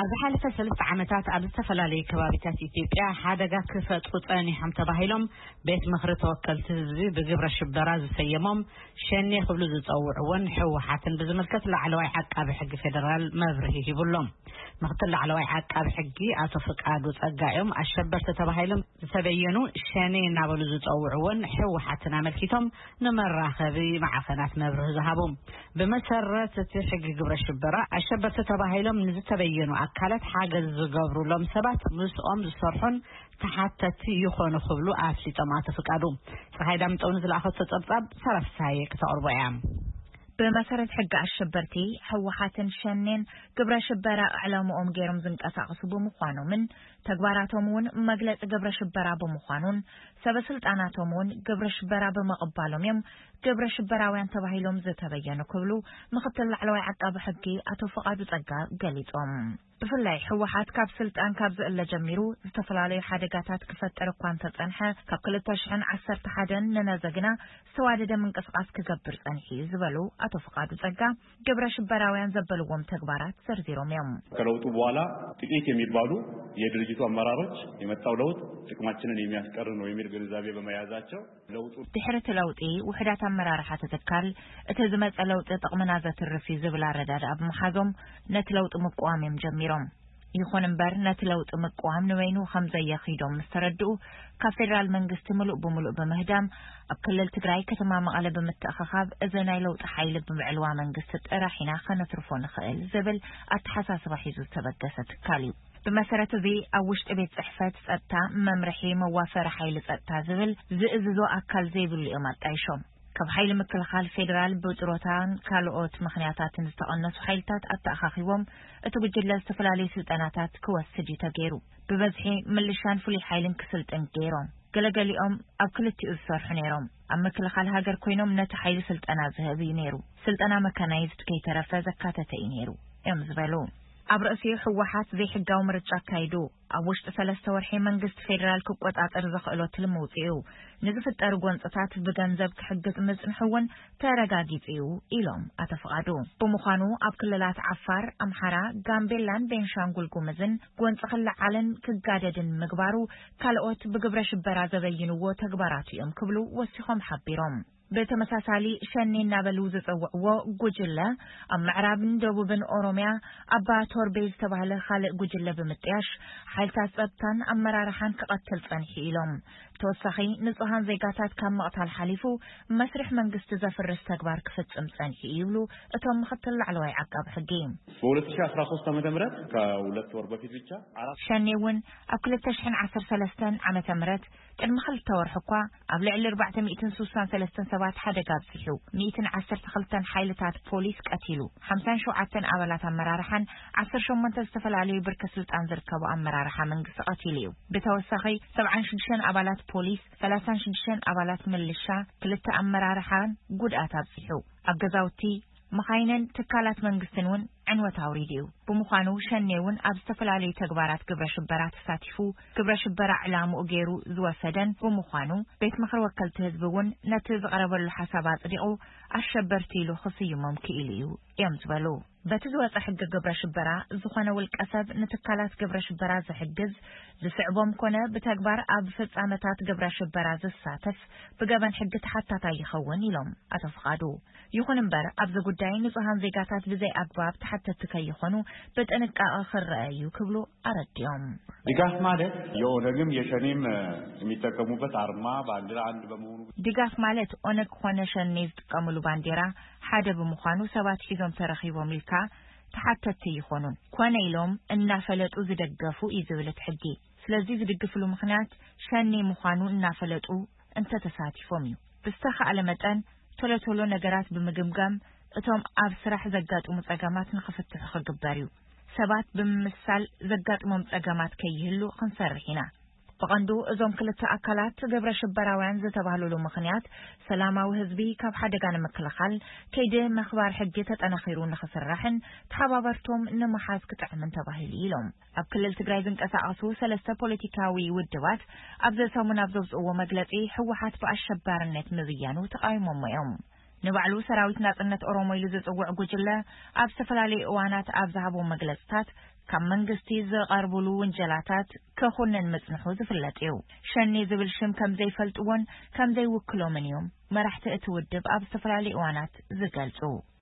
ኣብ ዝሓለፈ ሰለስተ ዓመታት ኣብ ዝተፈላለዩ ከባቢታት ኢትዮጵያ ሓደጋ ክፈጥሩ ጸኒሖም ተባሂሎም ቤት ምኽሪ ተወከልቲ ህዝቢ ብግብረ ሽበራ ዝሰየሞም ሸኔ ክብሉ ዝጸውዕዎን ህወሓትን ብዝምልከት ላዕለዋይ ዓቃቢ ሕጊ ፌደራል መብርሂ ሂቡሎም። ምክትል ላዕለዋይ ዓቃቢ ሕጊ ኣቶ ፍቃዱ ጸጋ እዮም ኣሸበርቲ ተባሂሎም ዝተበየኑ ሸኔ እናበሉ ዝጸውዕዎን ህወሓትን ኣመልኪቶም ንመራኸቢ ማዕኸናት መብርሂ ዝሃቡ። ብመሰረት እቲ ሕጊ ግብረ ሽበራ ኣሸበርቲ ተባሂሎም ንዝተበየኑ ኣካላት ሓገዝ ዝገብሩሎም ሰባት ምስኦም ዝሰርሑን ተሓተቲ ይኾኑ ክብሉ ኣፍሊጦም ኣቶ ፍቃዱ። ፀሓይ ዳምጠው ንዝለኣኸቶ ጸብጻብ ሰራፍሳየ ክተቕርቦ እያ። ብመሰረት ሕጊ ኣሸበርቲ ህወሓትን ሸኔን ግብረ ሽበራ ዕላምኦም ገይሮም ዝንቀሳቐሱ ብምዃኖምን ተግባራቶም እውን መግለፂ ግብረ ሽበራ ብምዃኑን ሰበ ስልጣናቶም እውን ግብረ ሽበራ ብምቕባሎም እዮም ግብረ ሽበራውያን ተባሂሎም ዝተበየኑ ክብሉ ምክትል ላዕለዋይ ዓቃቢ ሕጊ ኣቶ ፍቓዱ ጸጋ ገሊጾም። ብፍላይ ህወሓት ካብ ስልጣን ካብ ዝእለ ጀሚሩ ዝተፈላለዩ ሓደጋታት ክፈጥር እኳ እንተጸንሐ ካብ ክልተ ሽሕን ዓሰርተ ሓደን ንነዘ ግና ዝተዋደደ ምንቅስቃስ ክገብር ጸኒሑ እዩ ዝበሉ ኣቶ ፍቓዱ ጸጋ ግብረ ሽበራውያን ዘበልዎም ተግባራት ዘርዚሮም እዮም። ከለውጡ በኋላ ጥቂት የሚባሉ የድርጅቱ አመራሮች የመጣው ለውጥ ጥቅማችንን የሚያስቀር ነው የሚል ግንዛቤ በመያዛቸው ለውጡ ድሕሪ እቲ ለውጢ ውሕዳት ኣመራርሓ እቲ ትካል እቲ ዝመጸ ለውጢ ጥቕምና ዘትርፍ እዩ ዝብል ኣረዳድኣ ብምሓዞም ነቲ ለውጢ ምቅዋም እዮም ጀሚሮም። ይኹን እምበር ነቲ ለውጢ ምቅዋም ንበይኑ ከም ዘየኺዶም ምስ ተረድኡ ካብ ፌደራል መንግስቲ ምሉእ ብምሉእ ብምህዳም ኣብ ክልል ትግራይ ከተማ መቐለ ብምትእኽኻብ እዚ ናይ ለውጢ ሓይሊ ብዕልዋ መንግስቲ ጥራሕ ኢና ከነትርፎ ንኽእል ዝብል ኣተሓሳስባ ሒዙ ዝተበገሰ ትካል እዩ። ብመሰረት እዚ ኣብ ውሽጢ ቤት ፅሕፈት ፀጥታ መምርሒ መዋፈሪ ሓይሊ ፀጥታ ዝብል ዝእዝዞ ኣካል ዘይብሉ እዮም ኣጣይሾም። ካብ ሓይሊ ምክልኻል ፌዴራል ብጥሮታን ካልኦት ምኽንያታትን ዝተቐነሱ ሓይልታት ኣተኣኻኺቦም እቲ ጉጅለ ዝተፈላለዩ ስልጠናታት ክወስድ እዩ ተገይሩ። ብበዝሒ ምልሻን ፍሉይ ሓይልን ክስልጥን ገይሮም። ገለገሊኦም ኣብ ክልቲኡ ዝሰርሑ ነይሮም። ኣብ ምክልኻል ሃገር ኮይኖም ነቲ ሓይሊ ስልጠና ዝህብ እዩ ነይሩ። ስልጠና መካናይዝድ ከይተረፈ ዘካተተ እዩ ነይሩ እዮም ዝበሉ። ኣብ ርእሲኡ ህወሓት ዘይሕጋዊ ምርጫ ኣካይዱ ኣብ ውሽጢ ሰለስተ ወርሒ መንግስቲ ፌዴራል ክቆጻጸር ዘኽእሎ ትልሚ ውፅኡ ንዝፍጠሩ ጎንፅታት ብገንዘብ ክሕግዝ ምጽንሑ እውን ተረጋጊጹ እዩ ኢሎም ኣቶ ፍቓዱ። ብምዃኑ ኣብ ክልላት ዓፋር፣ ኣምሓራ፣ ጋምቤላን ቤንሻንጉል ጉምዝን ጎንፂ ክለዓልን ክጋደድን ምግባሩ ካልኦት ብግብረ ሽበራ ዘበይንዎ ተግባራት እዮም ክብሉ ወሲኾም ሓቢሮም። ብተመሳሳሊ ሸኔ እናበሉ ዝጸውዕዎ ጉጅለ ኣብ ምዕራብን ደቡብን ኦሮሚያ ኣባ ቶርቤ ዝተባህለ ካልእ ጉጅለ ብምጥያሽ ሓይልታት ጸጥታን ኣመራርሓን ክቐትል ጸኒሑ ኢሎም። ተወሳኺ ንጹሃን ዜጋታት ካብ ምቕታል ሓሊፉ መስርሕ መንግስቲ ዘፍርስ ተግባር ክፍጽም ጸኒሑ ይብሉ እቶም ምኽትል ላዕለዋይ ዓቃቢ ሕጊ። በ2013 ዓመተ ምህረት ከሁለት ወር በፊት ብቻ አራት ሸኔ እውን ኣብ 2013 ዓመተ ምህረት ቅድሚ ክልተ ወርሒ እኳ ኣብ ልዕሊ 463 ሰባት ሓደጋ ኣብፂሑ፣ 112 ሓይልታት ፖሊስ ቀቲሉ፣ 57 ኣባላት ኣመራርሓን 18 ዝተፈላለዩ ብርኪ ስልጣን ዝርከቡ ኣመራርሓ መንግስቲ ቀቲሉ እዩ። ብተወሳኺ 76 ኣባላት ፖሊስ፣ 36 ኣባላት ምልሻ፣ ክልተ ኣመራርሓን ጉድኣት ኣብፂሑ። ኣብ ገዛውቲ፣ መኻይንን ትካላት መንግስትን እውን ዕንወት ኣውሪዱ እዩ። ብምዃኑ ሸኔ እውን ኣብ ዝተፈላለዩ ተግባራት ግብረ ሽበራ ተሳቲፉ ግብረ ሽበራ ዕላምኡ ገይሩ ዝወሰደን ብምዃኑ ቤት ምኽሪ ወከልቲ ህዝቢ እውን ነቲ ዝቐረበሉ ሓሳብ ኣፅዲቑ ኣሸበርቲ ኢሉ ክስይሞም ክኢሉ እዩ እዮም ዝበሉ። በቲ ዝወፀ ሕጊ ግብረ ሽበራ ዝኾነ ውልቀ ሰብ ንትካላት ግብረ ሽበራ ዝሕግዝ ዝስዕቦም ኮነ ብተግባር ኣብ ፍፃመታት ግብረ ሽበራ ዝሳተፍ ብገበን ሕጊ ተሓታታይ ይኸውን ኢሎም ኣቶ ፍቓዱ። ይኹን እምበር ኣብዚ ጉዳይ ንጹሃን ዜጋታት ብዘይ ኣግባብ ተሓተቲ ከይኾኑ ብጥንቃቐ ክረአ እዩ ክብሉ ኣረዲኦም። ድጋፍ ማለት የኦነግም የሸኔም የሚጠቀሙበት አርማ ባንዲራ አንድ በመሆኑ ድጋፍ ማለት ኦነግ ኾነ ሸኔ ዝጥቀምሉ ባንዴራ ሓደ ብምዃኑ ሰባት ሒዞም ተረኺቦም ኢልካ ተሓተቲ ይኾኑን ኮነ ኢሎም እናፈለጡ ዝደገፉ እዩ ዝብል እቲ ሕጊ። ስለዚ ዝድግፍሉ ምኽንያት ሸኔ ምዃኑ እናፈለጡ እንተተሳቲፎም እዩ። ብዝተኻእለ መጠን ቶሎ ቶሎ ነገራት ብምግምጋም እቶም ኣብ ስራሕ ዘጋጥሙ ጸገማት ንኽፍትሑ ክግበር እዩ። ሰባት ብምምሳል ዘጋጥሞም ጸገማት ከይህሉ ክንሰርሕ ኢና። ብቐንዱ እዞም ክልተ ኣካላት ግብረ ሽበራውያን ዝተባህሉሉ ምኽንያት ሰላማዊ ህዝቢ ካብ ሓደጋ ንምክልኻል ከይዲ ምኽባር ሕጊ ተጠናኺሩ ንኽስራሕን ተሓባበርቶም ንምሓዝ ክጥዕምን ተባሂሉ ኢሎም። ኣብ ክልል ትግራይ ዝንቀሳቐሱ ሰለስተ ፖለቲካዊ ውድባት ኣብዚ ሰሙን ኣብ ዘውፅእዎ መግለፂ ህወሓት ብኣሸባርነት ምብያኑ ተቓዊሞሞ እዮም። ንባዕሉ ሰራዊት ናፅነት ኦሮሞ ኢሉ ዝፅውዕ ጉጅለ ኣብ ዝተፈላለዩ እዋናት ኣብ ዝሃቦ መግለፅታት ካብ መንግስቲ ዝቐርብሉ ውንጀላታት ክኹንን ምጽንሑ ዝፍለጥ እዩ። ሸኔ ዝብል ሽም ከም ዘይፈልጥዎን ከም ዘይውክሎምን እዮም መራሕቲ እቲ ውድብ ኣብ ዝተፈላለዩ እዋናት ዝገልጹ።